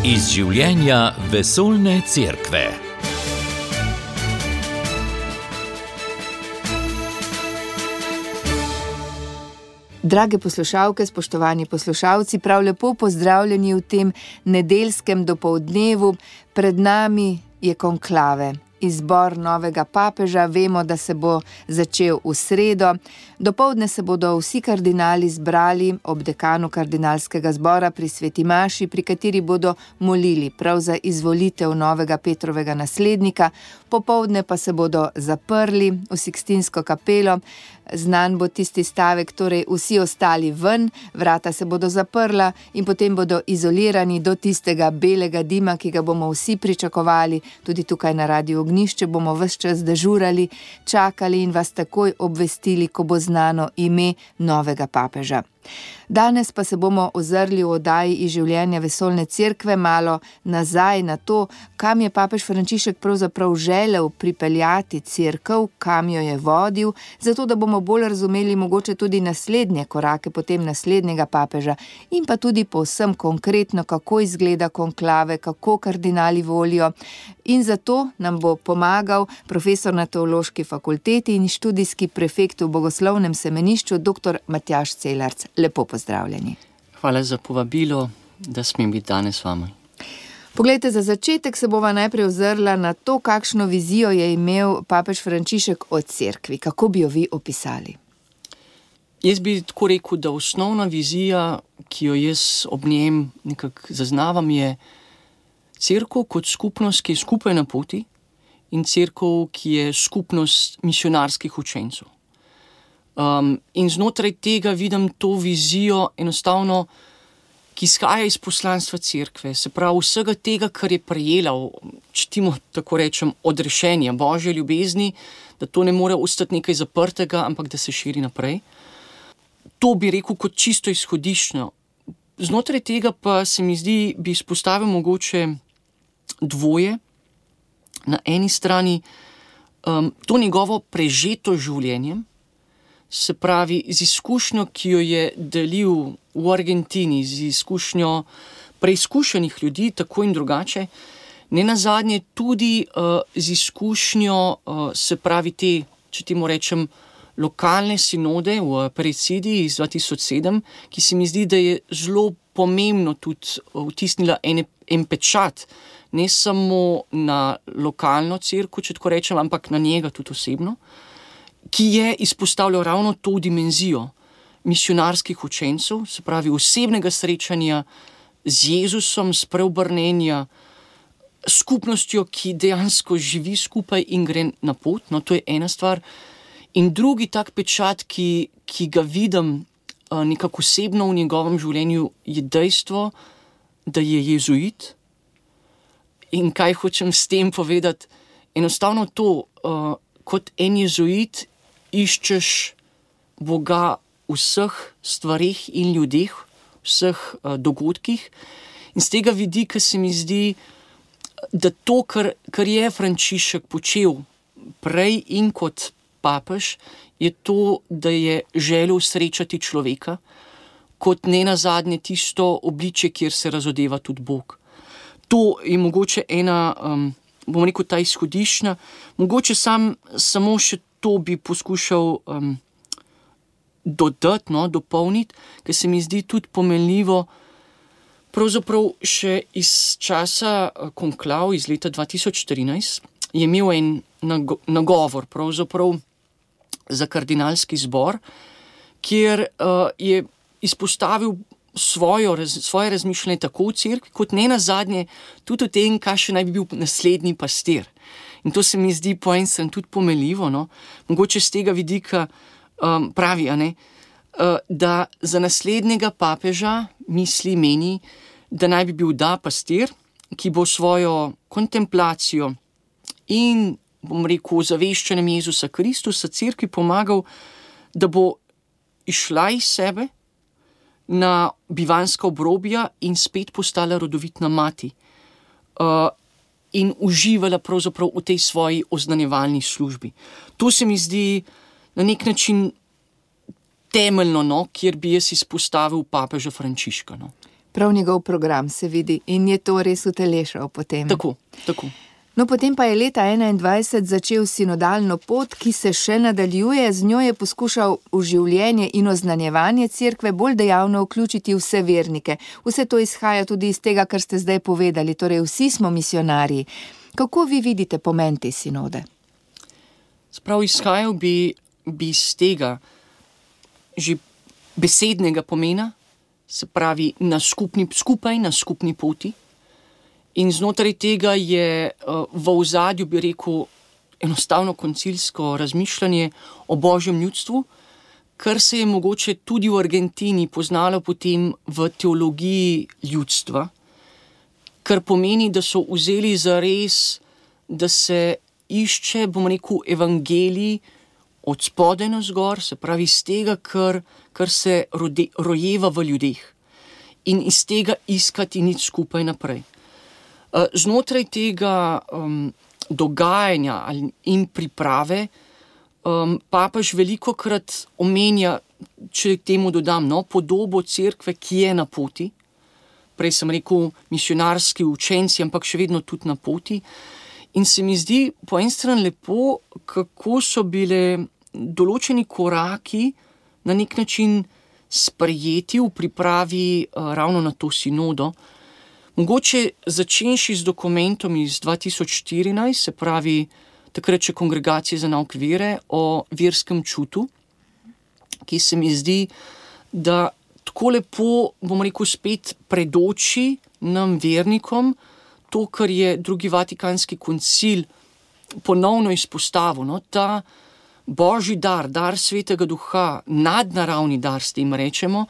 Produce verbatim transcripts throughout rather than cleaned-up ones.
Iz življenja vesoljne cerkve. Drage poslušalke, spoštovani poslušalci, prav lepo pozdravljeni v tem nedeljskem dopoldnevu. Pred nami je konklave. Izbor novega papeža, vemo, da se bo začel v sredo. Dopoldne se bodo vsi kardinali zbrali ob dekanu kardinalskega zbora pri Sveti maši, pri kateri bodo molili prav za izvolitev novega Petrovega naslednika. Popoldne pa se bodo zaprli v Sikstinsko kapelo. Znan bo tisti stavek, torej vsi ostali ven, vrata se bodo zaprla in potem bodo izolirani do tistega belega dima, ki ga bomo vsi pričakovali. Tudi tukaj na Radiu Ognjišče bomo ves čas dežurali, čakali in vas takoj obvestili, ko bo znano ime novega papeža. Danes pa se bomo ozrli v oddaji iz življenja vesoljne cerkve malo nazaj na to, kam je papež Frančišek pravzaprav želel pripeljati cerkev, kam jo je vodil, zato da bomo bolj razumeli mogoče tudi naslednje korake potem naslednjega papeža in pa tudi povsem konkretno, kako izgleda konklave, kako kardinali volijo. In zato nam bo pomagal profesor na Teološki fakulteti in študijski prefekt v Bogoslovnem semenišču dr. Matjaž Celarc. Lepo pozdravljeni. Hvala za povabilo, da smem biti danes s vami. Poglejte, za začetek se bova najprej ozrla na to, kakšno vizijo je imel papež Frančišek o cerkvi. Kako bi jo vi opisali? Jaz bi tako rekel, da osnovna vizija, ki jo jaz ob njem nekako zaznavam, je cerkev kot skupnost, ki je skupaj na poti, in cerkev, ki je skupnost misionarskih učencev. Um, in znotraj tega vidim to vizijo enostavno, ki izhaja iz poslanstva cerkve, se pravi vsega tega, kar je prejela, čtimo tako rečem, odrešenja Božje ljubezni, da to ne more ostati nekaj zaprtega, ampak da se širi naprej. To bi rekel kot čisto izhodiščno. Znotraj tega pa se mi zdi, bi izpostavil mogoče dvoje. Na eni strani um, to njegovo prežeto življenjem, se pravi z izkušnjo, ki jo je delil v Argentini, z izkušnjo preizkušenih ljudi, tako in drugače, ne nazadnje tudi uh, z izkušnjo, uh, se pravi te, če temu rečem, lokalne sinode v Perecidi iz dva tisoč sedem, ki se mi zdi, da je zelo pomembno tudi vtisnila en, en pečat, ne samo na lokalno cerkev, če tako rečem, ampak na njega tudi osebno, ki je izpostavljal ravno to dimenzijo misionarskih učencev, se pravi osebnega srečanja z Jezusom, spreobrnenja, skupnostjo, ki dejansko živi skupaj in gre na pot. No, to je ena stvar. In drugi tak pečat, ki, ki ga vidim uh, nekako osebno v njegovem življenju, je dejstvo, da je jezuit. In kaj hočem s tem povedati? Enostavno to, uh, kot en jezuit iščeš Boga v vseh stvareh in ljudeh, vseh uh, dogodkih. In z tega vidika se mi zdi, da to, kar, kar je Frančišek počel prej in kot papež, je to, da je želel srečati človeka, kot ne nazadnje tisto obličje, kjer se razodeva tudi Bog. To je mogoče ena, um, bom rekel, ta izhodiščna. Mogoče sam, samo še to bi poskušal um, dodati, no, dopolniti, ker se mi zdi tudi pomenljivo, pravzaprav še iz časa konklav iz leta dva tisoč trinajst je imel en nagovor pravzaprav za kardinalski zbor, kjer uh, je izpostavil svojo, raz, svoje razmišljanje tako v cerkvi, kot ne nazadnje tudi o tem, kakšen naj bi bil naslednji pastir. In to se mi zdi po en strani tudi pomenljivo, no? Mogoče z tega vidika um, pravi, a ne, uh, da za naslednjega papeža misli, meni, da naj bi bil da pastir, ki bo svojo kontemplacijo in, bom rekel, zaveščanjem Jezusa Kristusa cerkvi pomagal, da bo išla iz sebe na bivanska obrobja in spet postala rodovitna mati. Uh, in uživala pravzaprav v tej svoji oznanjevalni službi. To se mi zdi na nek način temeljno, no, kjer bi jaz izpostavil papeža Frančiška. No. Prav njegov program se vidi in je to res utelešal potem. Tako, tako. No, potem pa je leta enaindvajset začel sinodalno pot, ki se še nadaljuje, z njo je poskušal v življenje in oznanjevanje cerkve bolj dejavno vključiti vse vernike. Vse to izhaja tudi iz tega, kar ste zdaj povedali, torej vsi smo misionarji. Kako vi vidite pomen te sinode? Sprav izhajal bi, bi iz tega že besednega pomena, se pravi na skupni, skupaj na skupni poti. In znotraj tega je v ozadju, bi rekel, enostavno koncilsko razmišljanje o božjem ljudstvu, kar se je mogoče tudi v Argentini poznalo potem v teologiji ljudstva, kar pomeni, da so vzeli za res, da se išče, bom rekel, evangelij od spodaj na zgor, se pravi iz tega, kar, kar se rode, rojeva v ljudeh in iz tega iskati nič skupaj naprej. Znotraj tega um, dogajanja in priprave um, papež velikokrat omenja, če temu dodam, no, podobo cerkve, ki je na poti. Prej sem rekel misionarski učenci, ampak še vedno tudi na poti. In se mi zdi po en stran lepo, kako so bile določeni koraki na nek način sprejeti v pripravi uh, ravno na to sinodo. Mogoče začenši z dokumentom iz dva tisoč štirinajst, se pravi takrat še Kongregacije za nauk vere o verskem čutu, ki se mi zdi, da tako lepo, bom rekel, spet predoči nam vernikom to, kar je drugi Vatikanski koncil ponovno izpostavil, no, ta božji dar, dar Svetega Duha, nadnaravni dar, s tem rečemo,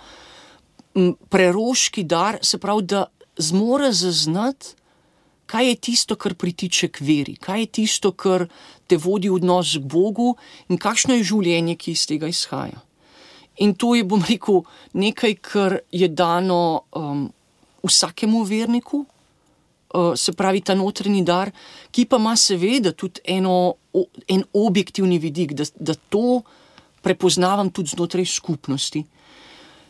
preroški dar, se pravi, da zmore zaznati, kaj je tisto, kar pritiče k veri, kaj je tisto, kar te vodi v odnos k Bogu in kakšno je življenje, ki iz tega izhaja. In to je, bom rekel, nekaj, kar je dano um, vsakemu verniku, uh, se pravi ta notranji dar, ki pa ima seveda tudi eno, o, en objektivni vidik, da, da to prepoznavam tudi znotraj skupnosti.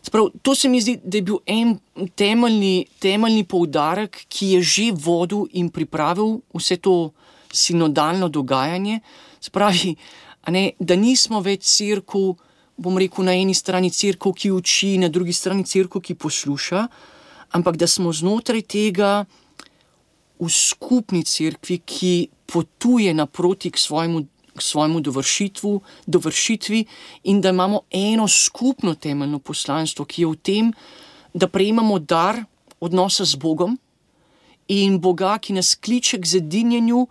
Sprav, to se mi zdi, da je bil en temeljni, temeljni poudarek, ki je že vodil in pripravil vse to sinodalno dogajanje. Spravi, a ne, da nismo več cerkev, bom rekel, na eni strani cerkev, ki uči, na drugi strani cerkev, ki posluša, ampak da smo znotraj tega v skupni cerkvi, ki potuje naproti k svojemu k svojemu dovršitvu, dovršitvi in da imamo eno skupno temeljno poslanstvo, ki je v tem, da prejemamo dar odnosa z Bogom in Boga, ki nas kliče k zedinjenju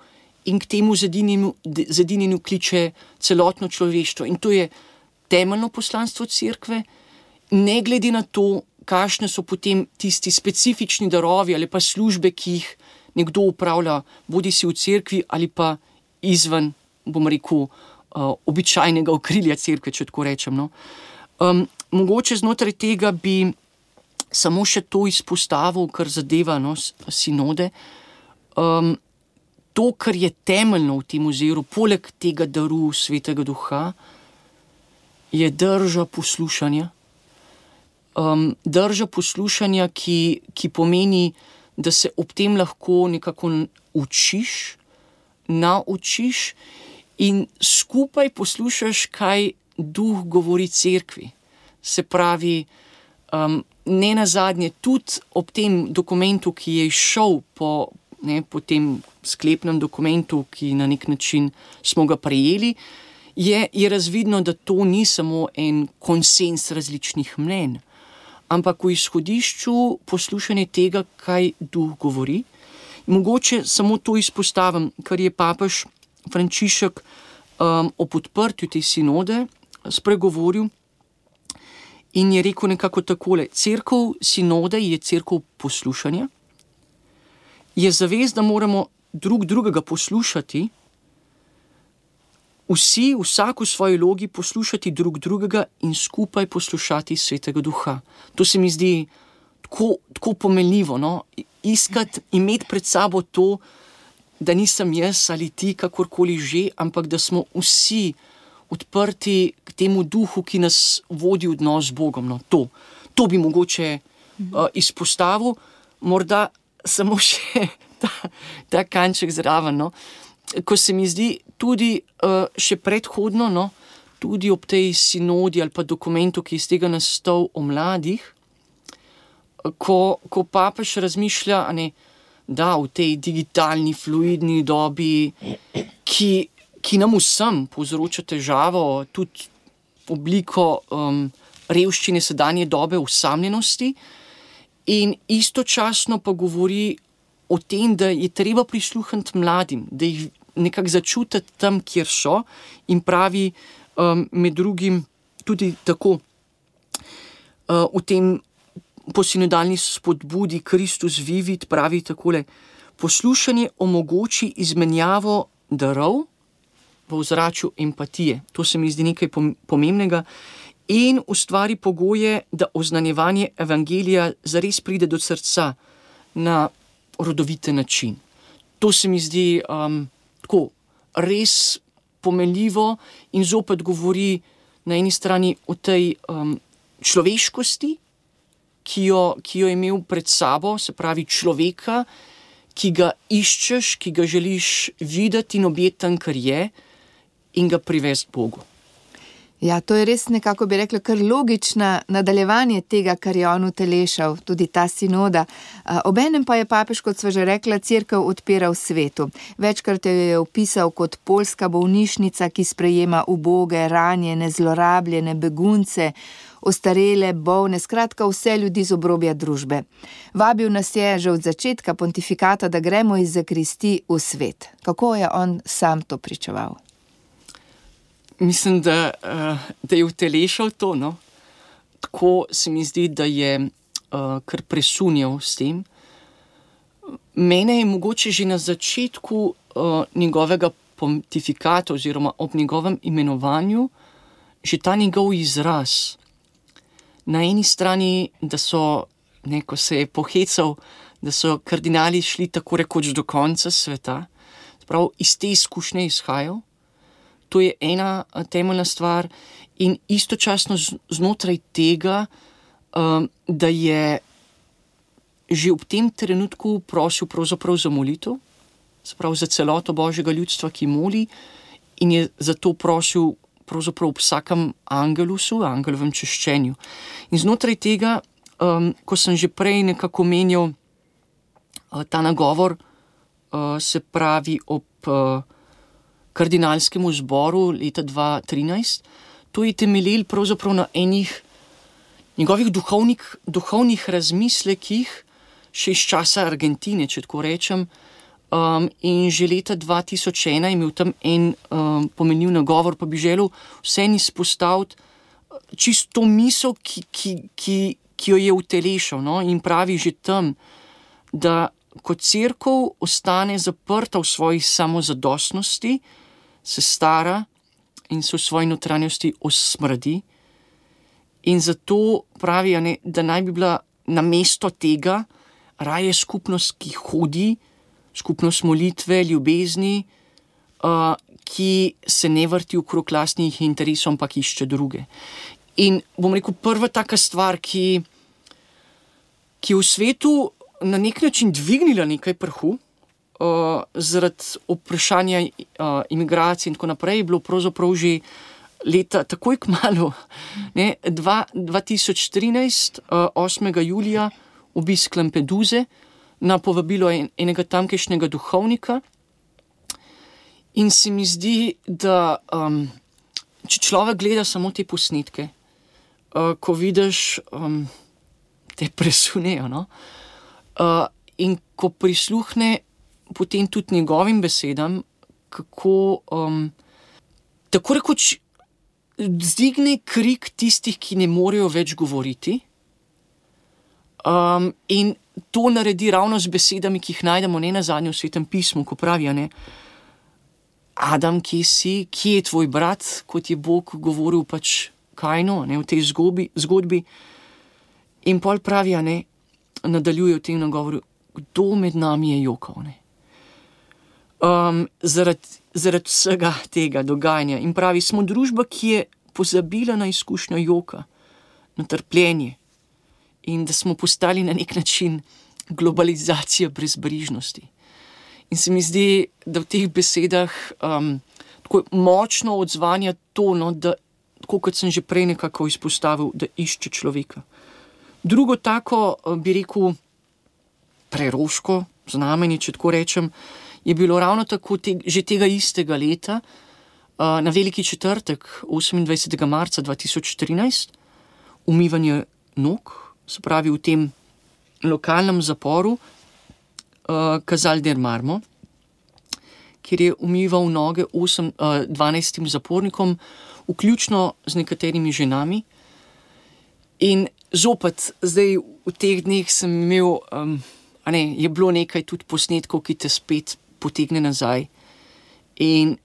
in k temu zedinjenju, zedinjenju kliče celotno človeštvo. In to je temeljno poslanstvo cerkve, ne glede na to, kakšne so potem tisti specifični darovi ali pa službe, ki jih nekdo upravlja, bodi si v cerkvi ali pa izven, bom rekel, uh, običajnega okrilja cerkve, če tako rečem. No. Um, mogoče znotraj tega bi samo še to izpostavil, kar zadeva, no, sinode. Um, to, kar je temeljno v tem oziru, poleg tega daru Svetega Duha, je drža poslušanja. Um, drža poslušanja, ki, ki pomeni, da se ob tem lahko nekako učiš, naučiš in skupaj poslušaš, kaj Duh govori cerkvi. Se pravi, um, ne nazadnje, tudi ob tem dokumentu, ki je izšel po, ne, po tem sklepnem dokumentu, ki na nek način smo ga prejeli, je, je razvidno, da to ni samo en konsens različnih mnenj, ampak v izhodišču poslušanje tega, kaj Duh govori. Mogoče samo to izpostavim, kar je papež Frančišek um, ob odprtju te sinode spregovoril in je rekel nekako takole: cerkev sinode je cerkev poslušanja, je zavest, da moramo drug drugega poslušati, vsi, vsak v svoji logi poslušati drug drugega in skupaj poslušati Svetega Duha. To se mi zdi tako, tako pomenljivo, no? Iskati, imeti pred sabo to, da nisem jaz ali ti, kakorkoli že, ampak da smo vsi odprti k temu Duhu, ki nas vodi v odnos z Bogom. No, to, to bi mogoče uh, izpostavil, morda samo še ta, ta kanček zraven, no, ko se mi zdi tudi uh, še predhodno, no, tudi ob tej sinodi ali pa dokumentu, ki je iz tega nastal o mladih, ko, ko papež razmišlja, a ne, da v tej digitalni, fluidni dobi, ki, ki nam vsem povzroča težavo, tudi obliko um, revščine sedanje dobe, osamljenosti, in istočasno pa govori o tem, da je treba prisluhniti mladim, da jih nekako začutiti tam, kjer so, in pravi um, med drugim tudi tako uh, v tem posinodalni spodbudi Kristus Vivit pravi takole: poslušanje omogoči izmenjavo darov v ozračju empatije. To se mi zdi nekaj pomembnega in ustvari pogoje, da oznanjevanje evangelija zares pride do srca na rodovite način. To se mi zdi um, tako res pomenljivo in zopet govori na eni strani o tej um, človeškosti, ki jo, ki jo je imel pred sabo, se pravi človeka, ki ga iščeš, ki ga želiš videti in objeti tam, kar je, in ga privesti Bogu. Ja, to je res nekako, bi rekla, kar logična nadaljevanje tega, kar je on utelešal, tudi ta sinoda. Obenem pa je papež, kot sva že rekla, cerkev odpira v svetu. Večkrat jo je opisal kot poljska bolnišnica, ki sprejema uboge, ranjene, zlorabljene, begunce, ostarele, bolne, skratka vse ljudi z obrobja družbe. Vabil nas je že od začetka pontifikata, da gremo iz zakristi v svet. Kako je on sam to pričeval? Mislim, da, da je utelešal to, no. Tako se mi zdi, da je uh, kar presunjal s tem. Mene je mogoče že na začetku uh, njegovega pontifikata oziroma ob njegovem imenovanju že ta njegov izraz. Na eni strani, da so, ne, ko se je pohecal, da so kardinali šli tako rekoč do konca sveta, sprav iz te izkušnje izhajal. To je ena temeljna stvar in istočasno znotraj tega, da je že ob tem trenutku prosil pravzaprav za molitev, sprav za celoto Božjega ljudstva, ki moli, in je zato prosil pravzaprav ob vsakem angelusu, angelovem češčenju. In znotraj tega, ko sem že prej nekako menjal ta nagovor, se pravi ob kardinalskemu zboru leta dva tisoč trinajst, to je temeljil pravzaprav na enih njegovih duhovnik, duhovnih razmislekih še iz časa Argentine, če tako rečem, um, in že leta dva tisoč ena je imel tam en um, pomenljiv nagovor, pa bi želel vsem izpostaviti čisto misel, ki, ki, ki, ki jo je utelešal, no? In pravi že tam, da ko cerkev ostane zaprta v svoji samozadostnosti, se stara in se v svoji notranjosti osmrdi. In zato pravi, ne, da naj bi bila namesto tega raje skupnost, ki hodi, skupnost molitve, ljubezni, uh, ki se ne vrti okrog lastnih interesov, ampak išče druge. In bom rekel, prva taka stvar, ki, ki v svetu na nek način dvignila nekaj prahu, uh, zaradi vprašanja uh, imigracije in tako naprej, je bilo pravzaprav že leta, takoj kmalu, ne, dva tisoč trinajst, uh, osmega julija, obisk Lampeduze na povabilo en, enega tamkajšnjega duhovnika. In se mi zdi, da um, če človek gleda samo te posnetke, uh, ko vidiš, um, te presunejo, no? Uh, in ko prisluhne potem tudi njegovim besedam, kako um, tako rekoč zdigne krik tistih, ki ne morejo več govoriti, um, in to naredi ravno z besedami, ki jih najdemo ne nazadnje v Svetem pismu, ko pravijo, ne, Adam, kje si, kje je tvoj brat, kot je Bog govoril pač Kainu, ne, v tej zgodbi, zgodbi. In pol pravijo, ne, nadaljuje v tem nagovoru, kdo med nami je jokal, ne. Um, zaradi, zaradi vsega tega dogajanja. In pravi, smo družba, ki je pozabila na izkušnjo joka, na trpljenje. in da smo postali na nek način globalizacija brezbrižnosti. In se mi zdi, da v teh besedah um, tako močno odzvanja to, no, da, tako kot sem že prej nekako izpostavil, da išče človeka. Drugo tako, bi rekel, preroško znamenje, če tako rečem, je bilo ravno tako te, že tega istega leta, uh, na Veliki četrtek, osemindvajsetega marca dva tisoč trinajst, umivanje nog, se pravi v tem lokalnem zaporu, uh, Casal del Marmo, kjer je umival noge osem, uh, dvanajstim zapornikom, vključno z nekaterimi ženami. In zopet, zdaj v teh dneh sem imel, um, a ne, je bilo nekaj tudi posnetkov, ki te spet potegne nazaj. In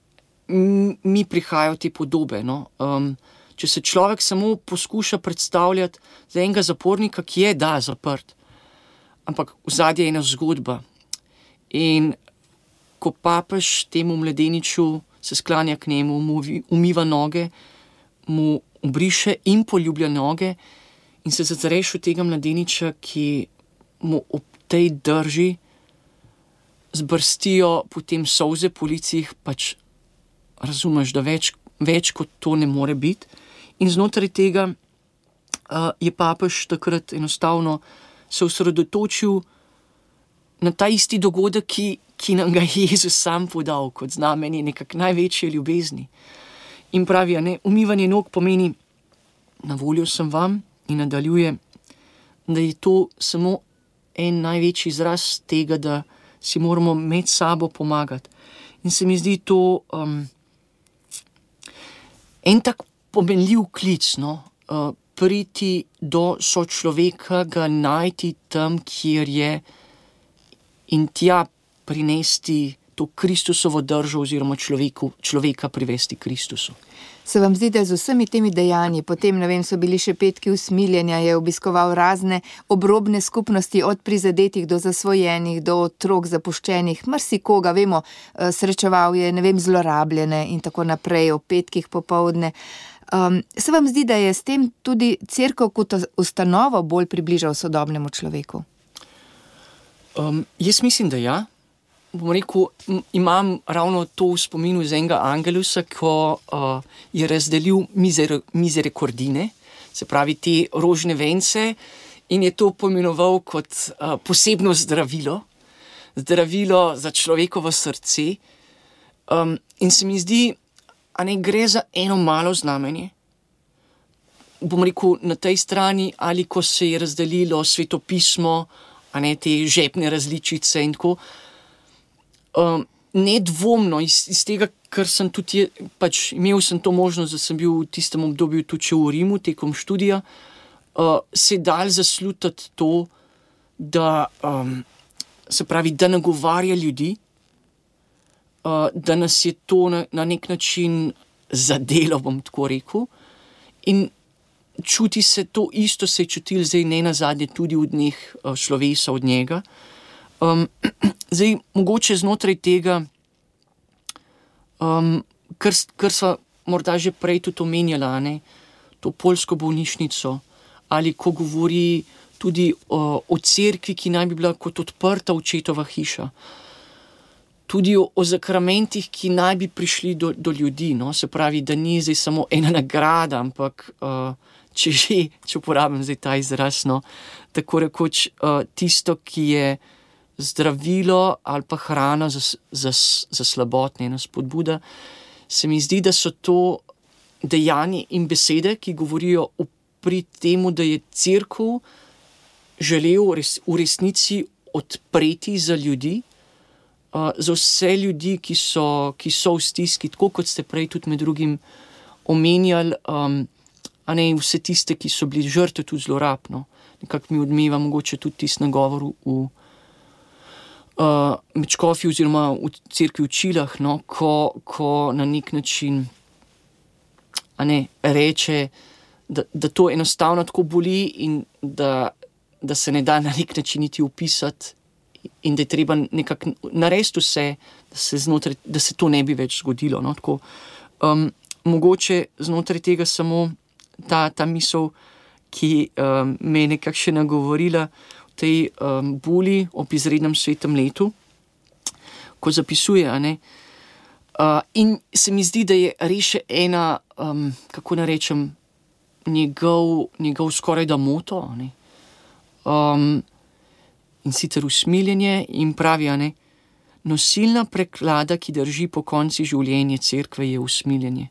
mi prihajajo te podobe, no. Um, če se človek samo poskuša predstavljati za enega zapornika, ki je, da, zaprt, ampak vzadje je ena zgodba. In ko papež temu mladeniču se sklanja k njemu, mu umiva noge, mu obriše in poljublja noge in se zazreš v tega mladeniča, ki mu ob tej drži zbrstijo potem solze po licih, pač razumeš, da več, več kot to ne more biti. In znotraj tega uh, je papež takrat enostavno se osredotočil na ta isti dogodek, ki, ki nam ga je Jezus sam podal kot znamenje nekak največje ljubezni. In pravi, ne, umivanje nog pomeni, na voljo sem vam, in nadaljuje, da je to samo en največji izraz tega, da si moramo med sabo pomagati. In se mi zdi to um, en tak pomenljiv klic, no, uh, priti do sočloveka, ga najti tam, kjer je, in tja prinesti to Kristusovo držo oziroma človeku, človeka privesti Kristusu. Se vam zdi, da z vsemi temi dejanji, potem, ne vem, so bili še petki usmiljenja, je obiskoval razne obrobne skupnosti, od prizadetih do zasvojenih, do otrok zapuščenih, marsikoga, vemo, srečeval je, ne vem, zlorabljene in tako naprej, o petkih popoldne. Um, se vam zdi, da je s tem tudi cerkev kot ustanovo bolj približal sodobnemu človeku? Um, jaz mislim, da ja. Bom rekel, imam ravno to v spominu z enega angelusa, ko uh, je razdelil mizer, misericordine, se pravi te rožne vence, in je to pomenoval kot uh, posebno zdravilo, zdravilo za človekovo srce. Um, in se mi zdi, a ne gre za eno malo znamenje. Bom rekel, na tej strani, ali ko se je razdelilo svetopismo, a ne te žepne različice in tako. Um, nedvomno iz, iz tega, ker sem tudi, je, pač imel sem to možnost, da sem bil v tistem obdobju tudi še v Rimu, tekom študija, uh, se dal zaslutati to, da um, se pravi, da nagovarja ljudi, uh, da nas je to na, na nek način zadelo, bom tako rekel, in čuti se to isto, se je čutil zdaj ne nazadnje tudi v dneh uh, slovesa od njega. Um, zdaj, mogoče znotraj tega, um, kar, kar sva morda že prej tudi omenjala, ne, to poljsko bolnišnico, ali ko govori tudi o, o cerkvi, ki naj bi bila kot odprta očetova hiša, tudi o, o zakramentih, ki naj bi prišli do, do ljudi, no, se pravi, da ni zdaj samo ena nagrada, ampak uh, če že, če uporabim zdaj ta izraz, no, tako rekoč uh, tisto, ki je zdravilo ali pa hrana za, za, za slabotne, ena spodbuda. Se mi zdi, da so to dejanja in besede, ki govorijo pri temu, da je cerkev želel res, v resnici odpreti za ljudi, uh, za vse ljudi, ki so, ki so v stiski, tako kot ste prej tudi med drugim omenjali, um, a ne vse tiste, ki so bili žrtve tudi zlorab, no. Nekako mi odmeva mogoče tudi tisti nagovor v Uh, med škofi oziroma v cerkvi v Čilah, no, ko, ko na nek način a ne, reče, da, da to enostavno tako boli in da, da se ne da na nek način niti opisati in da je treba nekako narediti vse, da se, znotraj, da se to ne bi več zgodilo. No, tako, um, mogoče znotraj tega samo ta, ta misel, ki um, me je nekako še nagovorila v tej um, buli ob izrednem svetem letu, ko zapisuje, a ne. Uh, in se mi zdi, da je res še ena, um, kako naj rečem, njegov, njegov skoraj da moto, a ne. Um, in sicer usmiljenje in pravi, a ne, nosilna preklada, ki drži po konci življenja cerkve, je usmiljenje.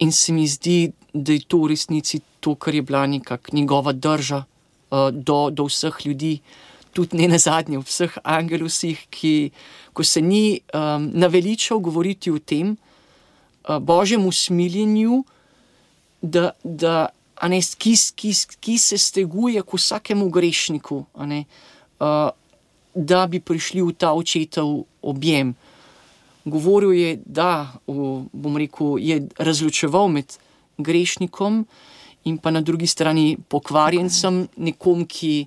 In se mi zdi, da je to v resnici to, kar je bila nekako njegova drža uh, do, do vseh ljudi, tudi ne nazadnje vseh angelusih, ki, ko se ni um, naveličal govoriti o tem uh, Božjem usmiljenju, da, da a ne, ki, ki, ki se steguje k vsakemu grešniku, a ne, uh, da bi prišli v ta očetov objem. Govoril je, da, v, bom rekel, je razločeval med grešnikom in pa na drugi strani pokvarjencem, nekom, ki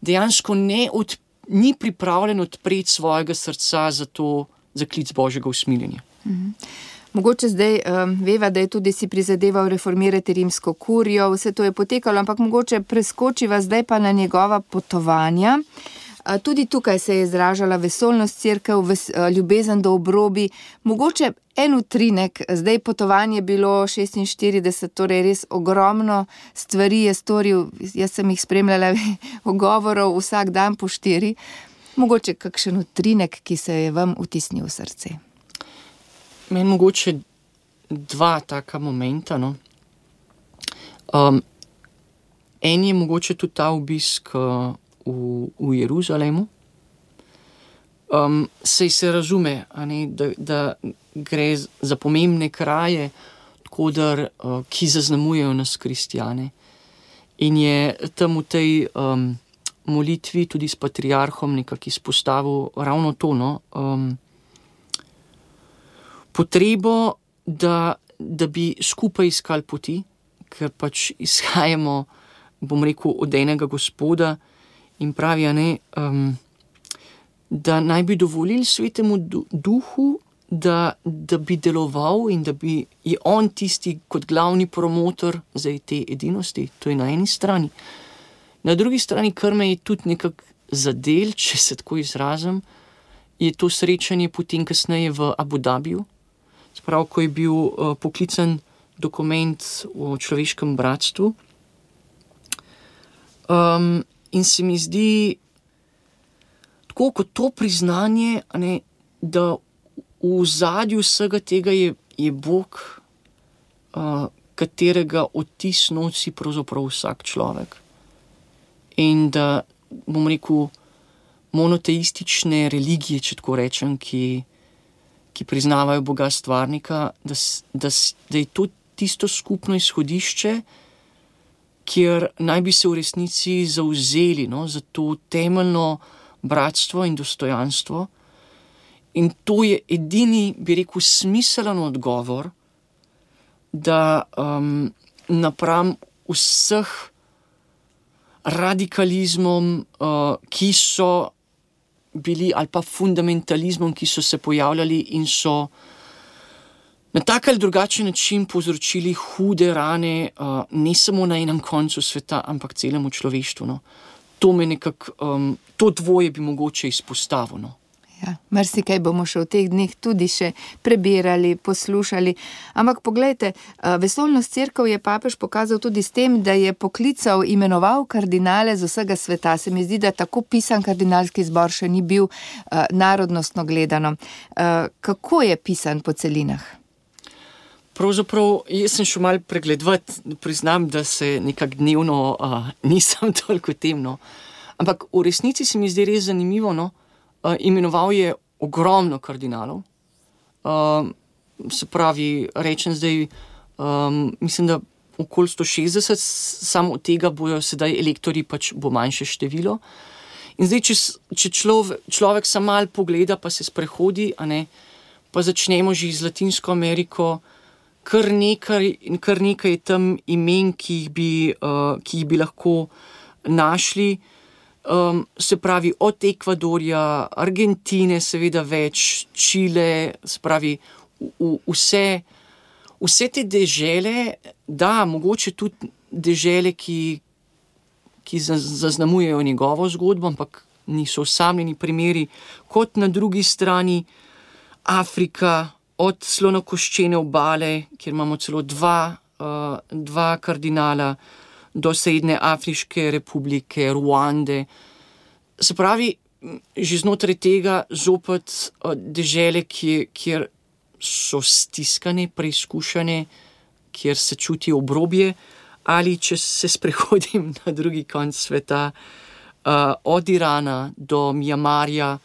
dejansko ne od, ni pripravljen odpreti svojega srca za to, za klic Božjega usmiljenja. Mhm. Mogoče zdaj um, veva, da je tudi si prizadeval reformirati rimsko kurijo, vse to je potekalo, ampak mogoče preskočiva zdaj pa na njegova potovanja. Tudi tukaj se je izražala vesoljnost cerkev, ves, ljubezen do obrobi. Mogoče en utrinek, zdaj potovanje je bilo šestinštirideset, torej res ogromno stvari je storil, jaz sem jih spremljala ogovorov vsak dan po štiri. Mogoče kakšen utrinek, ki se je vam vtisnil v srce? Meni mogoče dva taka momenta, no. Um, en je mogoče tudi ta obisk uh, V, v Jeruzalemu. Um, sej se razume, a ne, da, da gre za pomembne kraje, tkodar, uh, ki zaznamujejo nas kristjane. In je tam v tej um, molitvi tudi s patriarhom nekako izpostavil ravno to, no, um, potrebo, da, da bi skupaj iskali poti, ker pač izhajamo, bom rekel, od enega Gospoda. In pravi, ne, um, da naj bi dovolili svetemu duhu, da, da bi deloval in da bi je on tisti kot glavni promotor za te edinosti. To je na eni strani. Na drugi strani, kar me je tudi nekako zadel, če se tako izrazim, je to srečanje potem kasneje v Abu Dhabiju. Sprav, ko je bil uh, poklican dokument o človeškem bratstvu. Um, In se mi zdi, tako kot to priznanje, ne, da v ozadju vsega tega je, je Bog, uh, katerega odtis nosi pravzaprav vsak človek. In da, bom rekel, monoteistične religije, če tako rečem, ki, ki priznavajo Boga stvarnika, da, da, da je to tisto skupno izhodišče, kjer naj bi se v resnici zavzeli, no, za to temeljno bratstvo in dostojanstvo. In to je edini, bi rekel, smiselen odgovor, da um, napram vseh radikalizmom, uh, ki so bili, ali pa fundamentalizmom, ki so se pojavljali in so na tak ali drugačen način povzročili hude rane, uh, ne samo na enem koncu sveta, ampak celemu človeštvu. No. To me nekako, um, to dvoje bi mogoče izpostavil. No. Ja, marsikaj bomo še v teh dneh tudi še prebirali, poslušali. Ampak poglejte, vesoljnost cerkev je papež pokazal tudi s tem, da je poklical, imenoval kardinale z vsega sveta. Se mi zdi, da tako pisan kardinalski zbor še ni bil uh, narodnostno gledano. Uh, kako je pisan po celinah? Pravzaprav, jaz sem šel malo pregledovati, priznam, da se nekako dnevno uh, nisem toliko temno. Ampak v resnici se mi zdi res zanimivo, no, uh, imenoval je ogromno kardinalov. Uh, se pravi, rečem zdaj, um, mislim, da okoli sto šestdeset, samo od tega bojo sedaj elektorji, pač bo manjše število. In zdaj, če, če človek, človek sam malo pogleda, pa se sprehodi, a ne, pa začnemo že z Latinsko Ameriko, Kar nekaj, kar nekaj je tam imen, ki jih bi, uh, ki jih bi lahko našli. Um, se pravi, od Ekvadorja, Argentine, seveda več, Čile, se pravi, v, v, vse, vse te dežele, da, mogoče tudi dežele, ki, ki zaznamujejo njegovo zgodbo, ampak niso osamljeni primeri, kot na drugi strani Afrika, od slonokoščene obale, kjer imamo celo dva, uh, dva kardinala, do Srednje Afriške republike, Ruande. Se pravi, že znotraj tega zopet uh, dežele, kjer, kjer so stiskane, preizkušene, kjer se čuti obrobje, ali če se sprehodim na drugi konec sveta, uh, od Irana do Mjanmarja,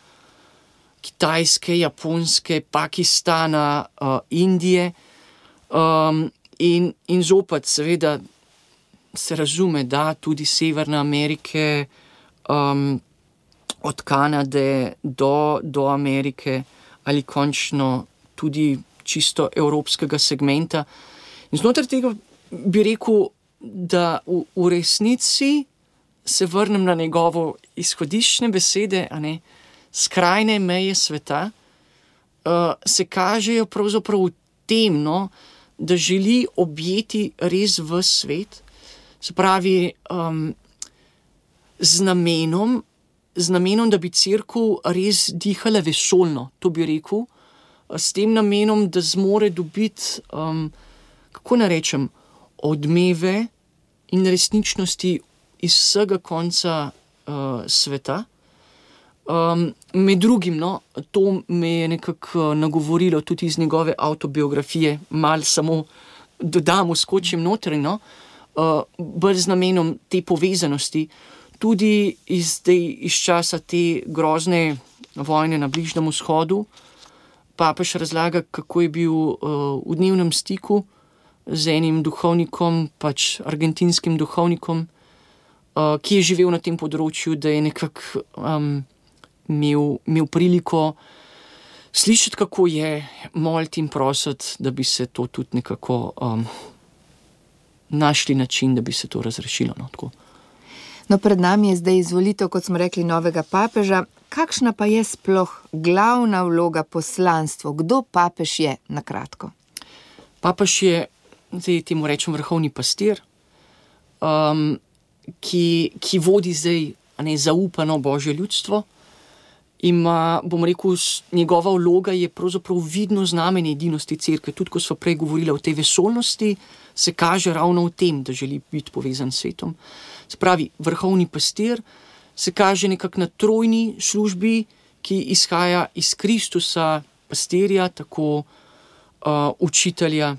Kitajske, Japonske, Pakistana, uh, Indije, um, in, in zopet seveda se razume, da tudi Severne Amerike, um, od Kanade do, do Amerike, ali končno tudi čisto evropskega segmenta. In znotraj tega bi rekel, da v, v resnici se vrnem na njegovo izhodiščne besede, a ne, skrajne meje sveta, uh, se kažejo pravzaprav v tem, no, da želi objeti res v svet, se pravi, um, z namenom, z namenom, da bi cerkev res dihala vesoljno, to bi rekel, s tem namenom, da zmore dobiti, um, kako narečem, odmeve in resničnosti iz vsega konca uh, sveta. Um, med drugim, no, to me je nekako nagovorilo tudi iz njegove avtobiografije, malo samo dodam, skočim noter, no, uh, bolj z namenom te povezanosti, tudi iz, iz časa te grozne vojne na Bližnjem vzhodu. Papež razlaga, kako je bil uh, v dnevnem stiku z enim duhovnikom, pač argentinskim duhovnikom, uh, ki je živel na tem področju, da je nekako um, imel, imel priliko slišati, kako je, moliti in prositi, da bi se to tudi nekako um, našli način, da bi se to razrešilo. No, tako. No, pred nami je zdaj izvolitev, kot smo rekli, novega papeža. Kakšna pa je sploh glavna vloga, poslanstvo? Kdo papež je, na kratko? Papež je, zdaj temu rečem, vrhovni pastir, um, ki, ki vodi zdaj, a ne, zaupano Božje ljudstvo. Ima, bom rekel, njegova vloga je pravzaprav vidno znamenje edinosti cerkve. Tudi, ko smo prej govorili o tej vesoljnosti, se kaže ravno v tem, da želi biti povezan s svetom. Se pravi, vrhovni pastir se kaže nekako na trojni službi, ki izhaja iz Kristusa, pastirja, tako uh, učitelja,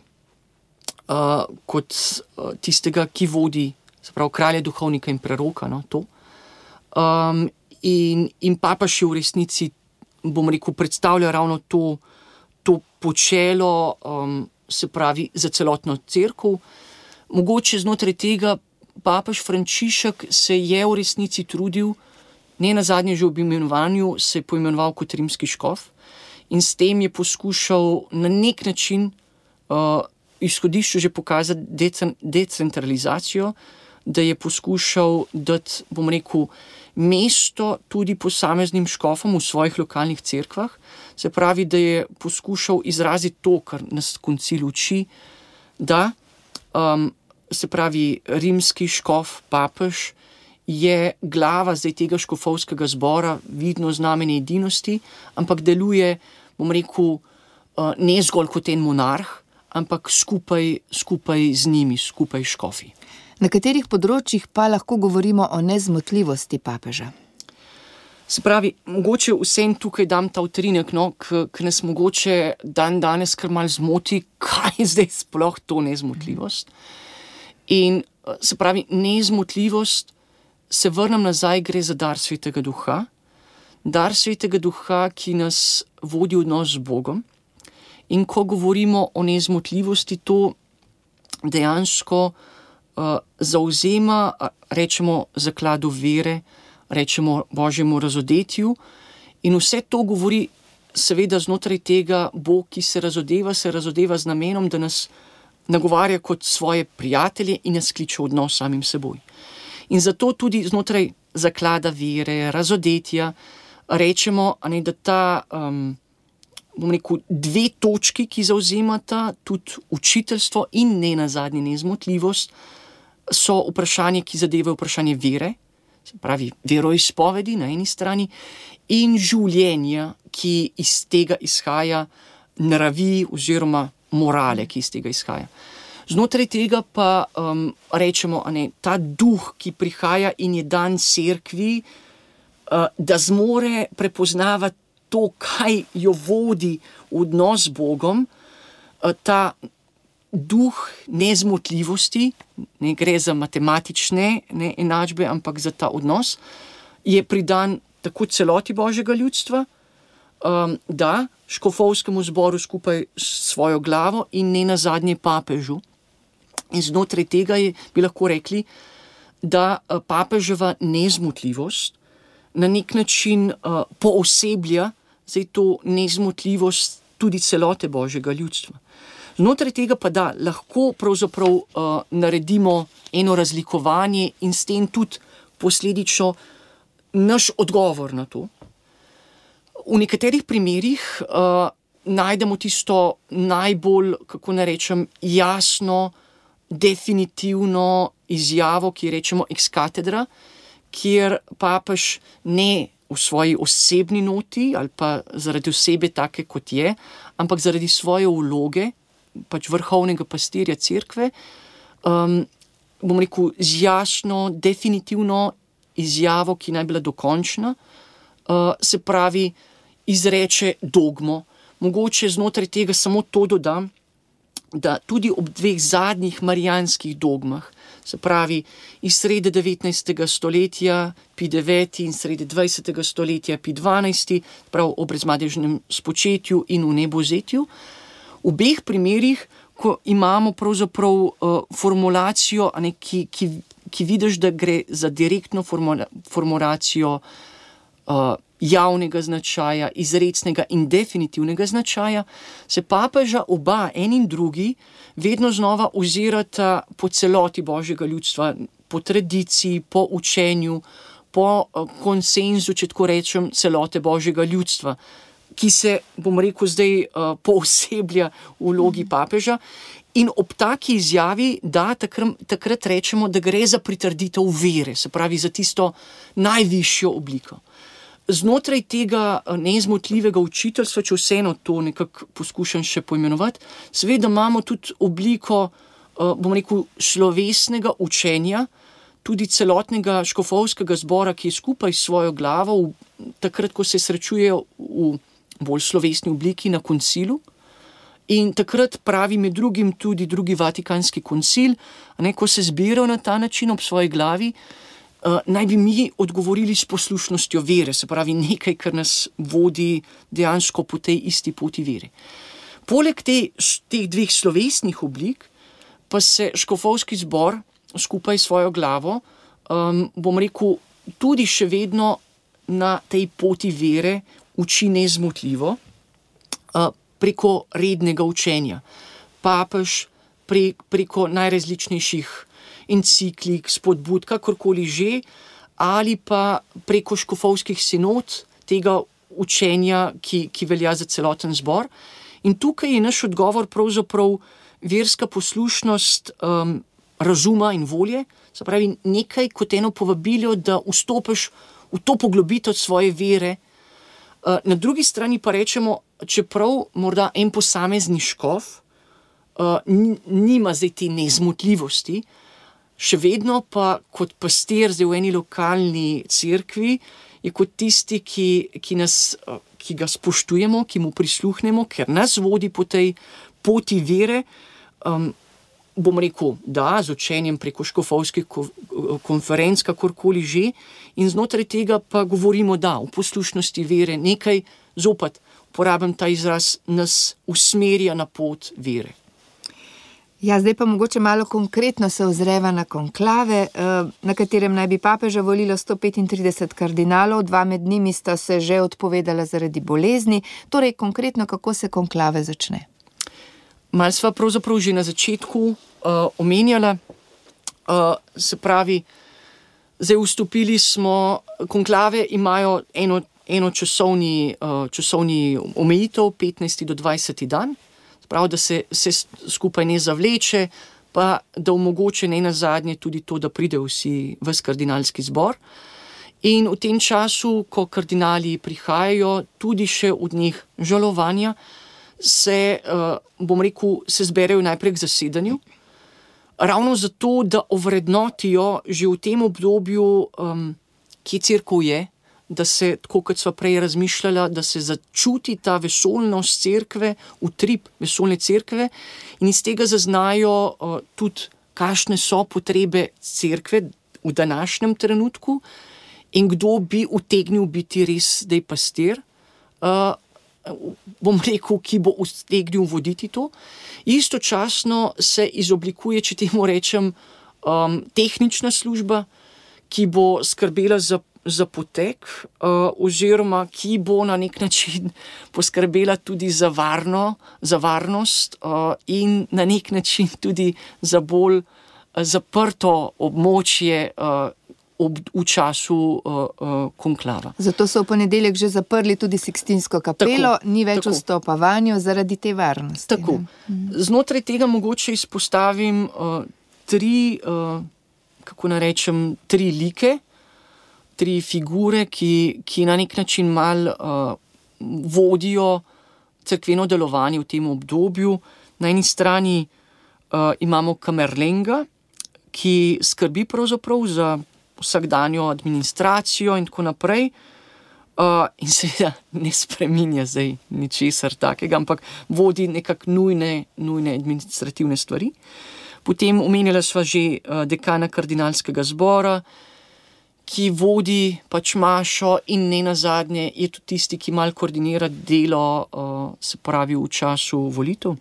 uh, kot uh, tistega, ki vodi, se pravi, kralja, duhovnika in preroka, no, to. Um, in, in papež je v resnici, bom rekel, predstavlja ravno to, to počelo, um, se pravi, za celotno cerkev. Mogoče znotraj tega papež Frančišek se je v resnici trudil, ne nazadnje že ob imenovanju se je poimenoval kot rimski škof in s tem je poskušal na nek način uh, izhodišču že pokazati decen, decentralizacijo, da je poskušal dati, bom rekel, mesto tudi posameznim škofom v svojih lokalnih cerkvah. Se pravi, da je poskušal izraziti to, kar nas koncil uči, da um, se pravi, rimski škof, papež, je glava zdaj tega škofovskega zbora, vidno znamenje edinosti, ampak deluje, bom rekel, ne zgolj kot en monarh, ampak skupaj, skupaj z njimi, skupaj škofi. Na katerih področjih pa lahko govorimo o nezmotljivosti papeža? Se pravi, mogoče vsem tukaj dam ta utrinek, no, ki nas mogoče dan danes kar malo zmoti, kaj je zdaj sploh to nezmotljivost. In se pravi, nezmotljivost, se vrnem nazaj, gre za dar Svetega Duha. Dar Svetega Duha, ki nas vodi v odnos z Bogom. In ko govorimo o nezmotljivosti, to dejansko uh, zauzema, rečemo, zakladu vere, rečemo Božjemu razodetju. In vse to govori seveda znotraj tega, Bog, ki se razodeva, se razodeva z namenom, da nas nagovarja kot svoje prijatelje in nas kliče v odnos samim seboj. In zato tudi znotraj zaklada vere, razodetja, rečemo, a ne, da ta, um, bom rekel, dve točki, ki zauzemata tudi učiteljstvo in ne nazadnje nezmotljivost, so vprašanje, ki zadevajo vprašanje vere, se pravi veroizpovedi na eni strani, in življenja, ki iz tega izhaja, naravi oziroma morale, ki iz tega izhaja. Znotraj tega pa um, rečemo, a ne, ta duh, ki prihaja in je dan cerkvi, uh, da zmore prepoznavati to, kaj jo vodi v odnos z Bogom, uh, ta duh nezmotljivosti, ne gre za matematične ne, enačbe, ampak za ta odnos, je pridan tako celoti Božjega ljudstva, um, da škofovskemu zboru skupaj s svojo glavo in ne nazadnje papežu. In znotraj tega je, bi lahko rekli, da papeževa nezmotljivost na nek način uh, pooseblja zdaj to nezmotljivost tudi celote Božjega ljudstva. Znotraj tega pa da lahko pravzaprav uh, naredimo eno razlikovanje in s tem tudi posledično naš odgovor na to. V nekaterih primerih uh, najdemo tisto najbolj, kako ne rečem, jasno, definitivno izjavo, ki rečemo ex cathedra, kjer papež ne v svoji osebni noti ali pa zaradi osebe take, kot je, ampak zaradi svoje vloge, pač vrhovnega pastirja cerkve, um, bom rekel, z jasno, definitivno izjavo, ki naj bila dokončna, uh, se pravi, izreče dogmo. Mogoče znotraj tega samo to dodam, da tudi ob dveh zadnjih marijanskih dogmah, se pravi iz srede devetnajstega stoletja pi deveti in srede dvajsetega stoletja pi dvanajsti, prav o brezmadežnem spočetju in v nebozetju, v obeh primerih, ko imamo pravzaprav uh, formulacijo, a ne, ki, ki, ki vidiš, da gre za direktno formula, formulacijo uh, javnega značaja, izrecnega in definitivnega značaja, se papeža oba, en in drugi, vedno znova ozirata po celoti Božjega ljudstva, po tradiciji, po učenju, po konsenzu, če tako rečem, celote Božjega ljudstva, ki se, bom rekel, zdaj uh, pooseblja v vlogi papeža. In ob taki izjavi, da takrat, takrat rečemo, da gre za pritrditev vere, se pravi za tisto najvišjo obliko. Znotraj tega nezmotljivega učiteljstva, če vseeno to nekako poskušam še poimenovati, seveda imamo tudi obliko, bom rekel, slovesnega učenja, tudi celotnega škofovskega zbora, ki je skupaj s svojo glavo, takrat, ko se srečujejo v bolj slovesni obliki na koncilu. In takrat pravi med drugim tudi drugi Vatikanski koncil, ne, ko se zbirajo na ta način ob svoji glavi, Uh, naj bi mi odgovorili s poslušnostjo vere, se pravi nekaj, kar nas vodi dejansko po tej isti poti vere. Poleg te, teh dveh slovesnih oblik, pa se škofovski zbor skupaj s svojo glavo, um, bom rekel, tudi še vedno na tej poti vere uči nezmotljivo uh, preko rednega učenja. Papež pre, preko najrazličnejših enciklik, spodbud, kakorkoli že, ali pa preko škofovskih sinod tega učenja, ki, ki velja za celoten zbor. In tukaj je naš odgovor pravzaprav verska poslušnost um, razuma in volje, se pravi nekaj kot eno povabilo, da vstopiš v to poglobitev svoje vere. Uh, na drugi strani pa rečemo, čeprav morda en posamezni škof uh, nima zdaj te nezmotljivosti, še vedno pa kot pastir zdaj v eni lokalni cerkvi je kot tisti, ki, ki, nas, ki ga spoštujemo, ki mu prisluhnemo, ker nas vodi po tej poti vere, um, bom rekel, da, z učenjem preko škofovskih konferenc, kakorkoli že, in znotraj tega pa govorimo, da, v poslušnosti vere nekaj, zopet uporabim ta izraz, nas usmerja na pot vere. Ja, zdaj pa mogoče malo konkretno se ozreva na konklave, na katerem naj bi papeža volilo sto petintrideset kardinalov, dva med njimi sta se že odpovedala zaradi bolezni. Torej, konkretno, kako se konklave začne? Mal sva pravzaprav že na začetku uh, omenjala, uh, se pravi, zdaj vstopili smo, konklave imajo eno, eno časovni, uh, časovni omejitev, petnajsti do dvajseti dan, prav, da se, se skupaj ne zavleče, pa da omogoče ne nazadnje tudi to, da pridejo vsi ves kardinalski zbor. In v tem času, ko kardinali prihajajo, tudi še od njih žalovanja, se, bom rekel, se zberejo najprej k zasedanju, ravno zato, da ovrednotijo že v tem obdobju, um, kje cerkev je, da se, tako kot sva prej razmišljala, da se začuti ta vesoljnost cerkve, utrip vesoljne cerkve in iz tega zaznajo uh, tudi, kakšne so potrebe cerkve v današnjem trenutku in kdo bi utegnil biti res zdaj pastir, uh, bom rekel, ki bo utegnil voditi to. Istočasno se izoblikuje, če temu rečem, um, tehnična služba, ki bo skrbela za za potek, uh, oziroma ki bo na nek način poskrbela tudi za, varno, za varnost uh, in na nek način tudi za bolj uh, zaprto območje uh, ob, v času uh, uh, konklava. Zato so v ponedeljek že zaprli tudi Sikstinsko kapelo, tako, ni več vstopa vanjo zaradi te varnosti. Tako. Znotraj tega mogoče izpostavim uh, tri, uh, kako naj rečem, tri like, tri figure, ki, ki na nek način mal uh, vodijo cerkveno delovanje v tem obdobju. Na eni strani uh, imamo Kamerlenga, ki skrbi pravzaprav za vsakdanjo administracijo in tako naprej. Uh, in seveda ne spreminja zdaj ničesar takega, ampak vodi nekako nujne, nujne administrativne stvari. Potem omenjala sva že uh, dekana kardinalskega zbora, ki vodi pač mašo in ne nazadnje je tudi tisti, ki malo koordinira delo, uh, se pravi v času volitev,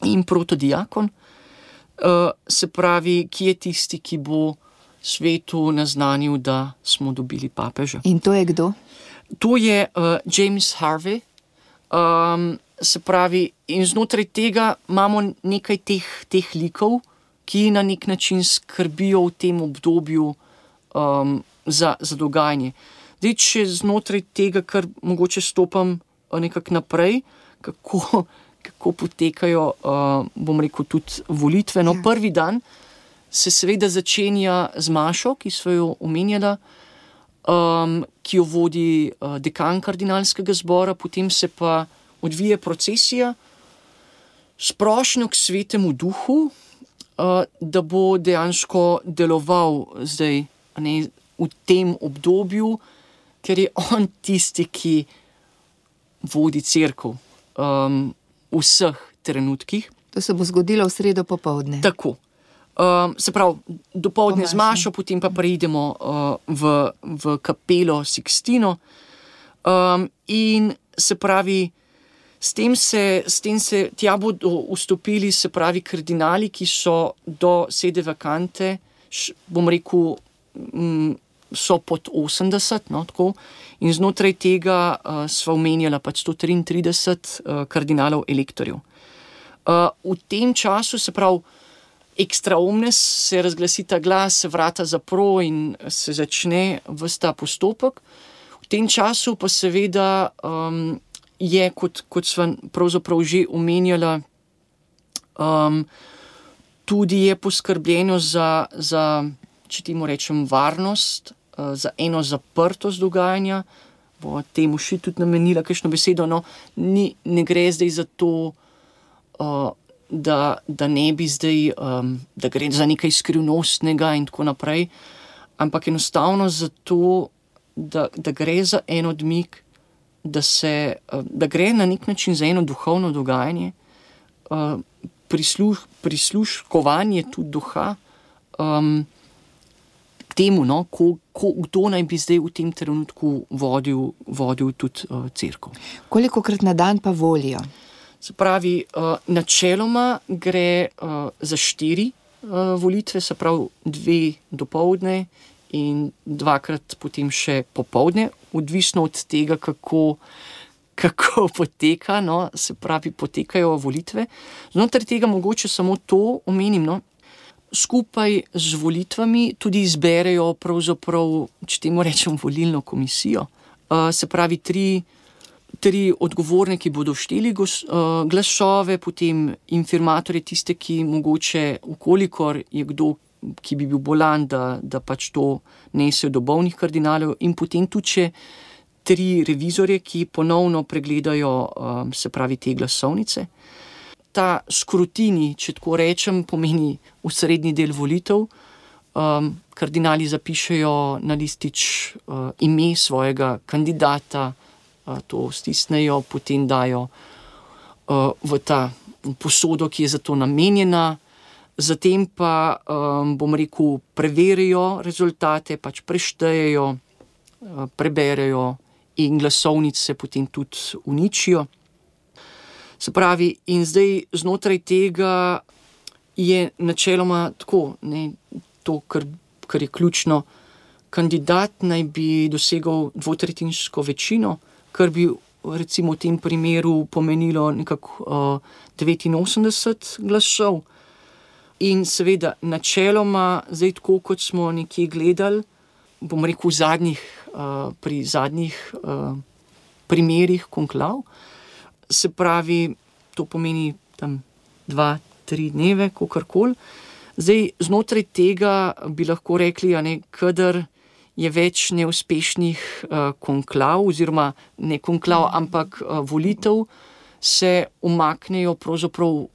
in protodiakon, uh, se pravi, ki je tisti, ki bo svetu naznanil, da smo dobili papeža. In to je kdo? To je uh, James Harvey, um, se pravi, in znotraj tega imamo nekaj teh, teh likov, ki na nek način skrbijo v tem obdobju Um, za, za dogajanje. Zdaj, če znotraj tega, kar mogoče stopam nekako naprej, kako, kako potekajo, uh, bom rekel, tudi volitve. No, ja. Prvi dan se seveda začenja z mašo, ki smo jo omenjala, um, ki jo vodi uh, dekan kardinalskega zbora, potem se pa odvije procesija s prošnjo k Svetemu Duhu, uh, da bo dejansko deloval zdaj ne, v tem obdobju, ker je on tisti, ki vodi cerkev um, v vseh trenutkih. To se bo zgodilo v sredo popoldne. Tako. Um, se pravi, dopoldne z mašo, potem pa preidemo uh, v, v kapelo Sikstino. Um, in se pravi, s tem se, s tem se tja bodo vstopili, se pravi, kardinali, ki so do sede vakante, š, bom rekel, so pod osemdeset, no, tako, in znotraj tega uh, sva omenjala pač sto triintrideset uh, kardinalov elektorjev. Uh, v tem času, se pravi, extra omnes, se razglasi ta glas, se vrata zapro in se začne ves ta postopek. V tem času pa seveda um, je, kot, kot sva pravzaprav že omenjala, um, tudi je poskrbljeno za, za če temu rečem, varnost, uh, za eno zaprtost dogajanja, bo temu še tudi namenila kakšno besedo, no, ni, ne gre zdaj za to, uh, da, da ne bi zdaj, um, da gre za nekaj skrivnostnega in tako naprej, ampak enostavno zato, da, da gre za en odmik, da se, uh, da gre na nek način za eno duhovno dogajanje, uh, prisluh, prisluškovanje tudi duha, um, temu, no, ko, ko, kdo naj bi zdaj v tem trenutku vodil, vodil tudi uh, cerkev. Kolikokrat na dan pa volijo? Se pravi, uh, načeloma gre uh, za štiri uh, volitve, se pravi dve dopoldne in dvakrat potem še popoldne, odvisno od tega, kako, kako poteka, no, se pravi, potekajo volitve. Znotraj tega mogoče samo to omenim, no, skupaj z volitvami tudi izberejo pravzaprav, če temu rečem, volilno komisijo. Uh, se pravi, tri, tri odgovorne, ki bodo šteli gos, uh, glasove, potem infirmatorje, tiste, ki mogoče, ukolikor je kdo, ki bi bil bolan, da, da pač to nesejo do bolnih kardinalov, in potem tudi še tri revizorje, ki ponovno pregledajo, um, se pravi, te glasovnice. Ta skrutini, če tako rečem, pomeni osrednji del volitev. Um, kardinali zapišejo na listič uh, ime svojega kandidata, uh, to stisnejo, potem dajo uh, v ta posodo, ki je za to namenjena. Zatem pa, um, bom rekel, preverijo rezultate, pač preštejejo, uh, preberejo in glasovnice potem tudi uničijo. Se pravi, in zdaj znotraj tega je načeloma tako, ne, to, kar, kar je ključno, kandidat naj bi dosegal dvotretjinsko večino, kar bi recimo v tem primeru pomenilo nekako uh, devetinosemdeset glasov. In seveda načeloma, zdaj tako, kot smo nekje gledali, bom rekel v zadnjih, uh, pri zadnjih uh, primerih konklav, se pravi, to pomeni tam dva, tri dneve, kakorkoli. Zdaj, znotraj tega bi lahko rekli, a ne, kadar je več neuspešnih uh, konklav, oziroma ne konklav, ampak uh, volitev, se umaknejo pravzaprav uh,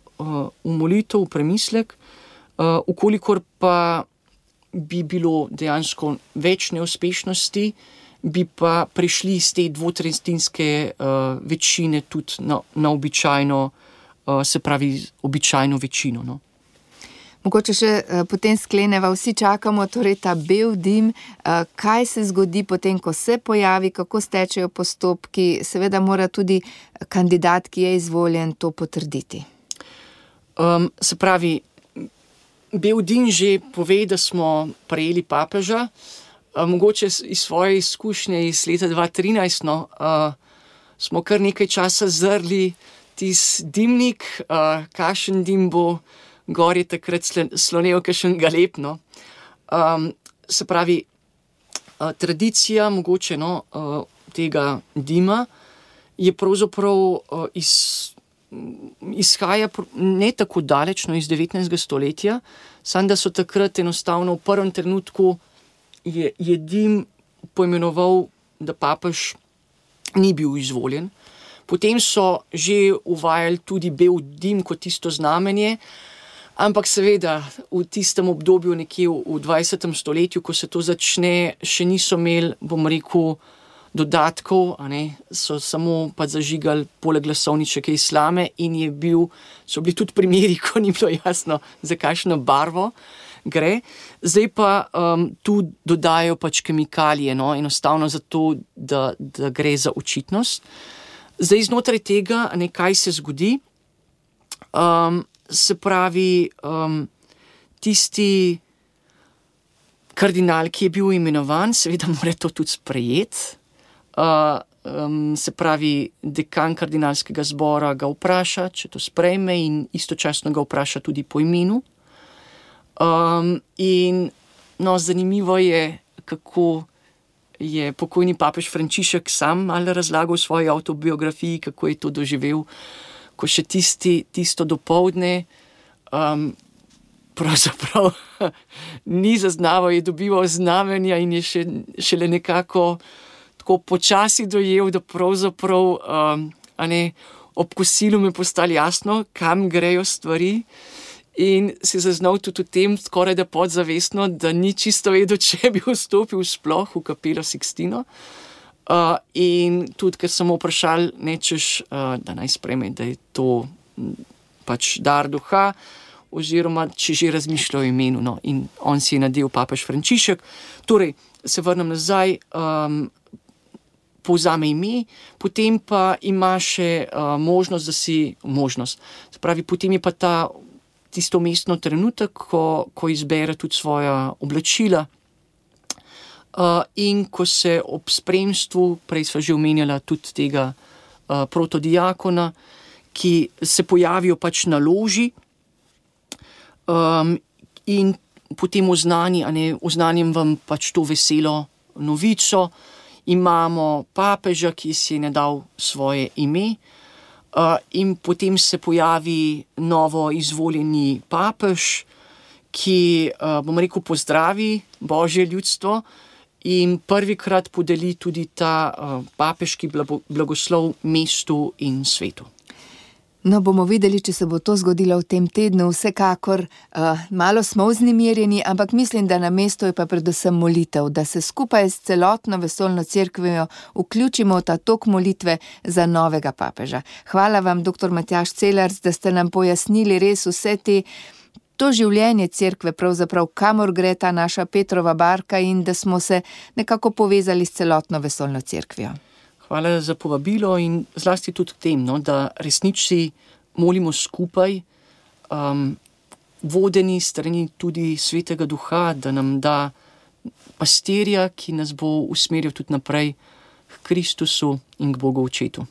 v molitev, v premislek, uh, ukolikor pa bi bilo dejansko več neuspešnosti, bi pa prišli iz te dvotretjinske uh, večine tudi na, na običajno, uh, se pravi, običajno večino, no. Mogoče še uh, potem skleneva, vsi čakamo torej ta bel dim, uh, kaj se zgodi potem, ko se pojavi, kako stečejo postopki, seveda mora tudi kandidat, ki je izvoljen, to potrditi. Um, se pravi, bel dim že pove, da smo prejeli papeža, uh, mogoče iz svoje izkušnje iz leta dva tisoč trinajst, no, uh, smo kar nekaj časa zrli tis dimnik, uh, kakšen dim bo, gor je takrat slonel kakšen galeb, no. Um, se pravi, uh, tradicija mogoče, no, uh, tega dima je pravzaprav uh, iz, izhaja ne tako daleč, no, iz devetnajstega stoletja, samo da so takrat enostavno v prvem trenutku je, je dim poimenoval, da papež ni bil izvoljen. Potem so že uvajali tudi bel dim kot tisto znamenje, ampak seveda v tistem obdobju nekje v dvajsetem stoletju, ko se to začne, še niso imeli, bom rekel, dodatkov, a ne, so samo pa zažigali poleg glasovničke slame in je bil, so bili tudi primeri, ko ni bilo jasno, za kakšno barvo gre. Zdaj pa um, tu dodajo pač kemikalije, no, enostavno zato, da, da gre za očitnost. Zdaj znotraj tega, ne, kaj se zgodi, um, se pravi, um, tisti kardinal, ki je bil imenovan, seveda mora to tudi sprejeti. Uh, um, se pravi, dekan kardinalskega zbora ga vpraša, če to sprejme, in istočasno ga vpraša tudi po imenu. Um, in no, zanimivo je, kako je pokojni papež Frančišek sam malo razlagal v svoji avtobiografiji, kako je to doživel, ko še tisti, tisto dopoldne um, pravzaprav ni zaznaval, je dobival znamenja in je še, šele nekako tako počasi dojel, da pravzaprav um, a ne, ob kosilu mi je postalo jasno, kam grejo stvari, in si zaznal tudi v tem, skoraj da podzavestno, da ni čisto vedel, če bi vstopil sploh v kapelo Sixtino. Uh, in tudi, ker sem vprašal, nečeš, uh, da naj sprejme, da je to pač dar duha, oziroma če že razmišlja o imenu, no, in on si je nadel papež Frančišek. Torej, se vrnem nazaj, um, povzame ime, potem pa ima še uh, možnost, da si možnost. Se pravi, potem je pa ta tisto mestno trenutek, ko, ko izbere tudi svoja oblačila. Uh, in ko se ob spremstvu, prej sva že omenjala tudi tega uh, protodiakona, ki se pojavijo pač na loži, um, in potem oznani, a ne, oznanim vam pač to veselo novico, imamo papeža, ki si je dal svoje ime, uh, in potem se pojavi novo izvoljeni papež, ki, uh, bom rekel, pozdravi Božje ljudstvo in prvikrat podeli tudi ta uh, papeški blagoslov mestu in svetu. No, bomo videli, če se bo to zgodilo v tem tednu. Vsekakor uh, malo smo vznemirjeni, ampak mislim, da na mestu je pa predvsem molitev, da se skupaj s celotno vesoljno cerkvijo vključimo v ta tok molitve za novega papeža. Hvala vam, doktor Matjaž Celarc, da ste nam pojasnili res vse te, to življenje cerkve, pravzaprav kamor gre ta naša Petrova barka in da smo se nekako povezali s celotno vesoljno cerkvijo. Hvala za povabilo in zlasti tudi tem, no, da resnici molimo skupaj, um, vodeni strani tudi Svetega Duha, da nam da pastirja, ki nas bo usmeril tudi naprej k Kristusu in k Bogu Očetu.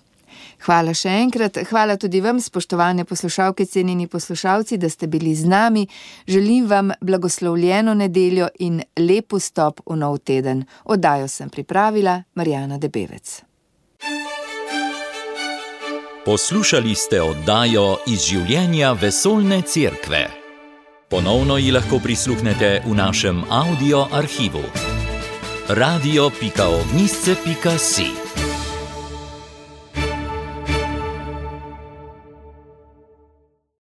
Hvala še enkrat, hvala tudi vam, spoštovane poslušalke, cenjeni poslušalci, da ste bili z nami. Želim vam blagoslovljeno nedeljo in lep vstop v nov teden. Oddajo sem pripravila Marjana Debevec. Poslušali ste oddajo iz življenja vesoljne cerkve. Ponovno ji lahko prisluhnete v našem audio arhivu. radio pika ognjišče pika si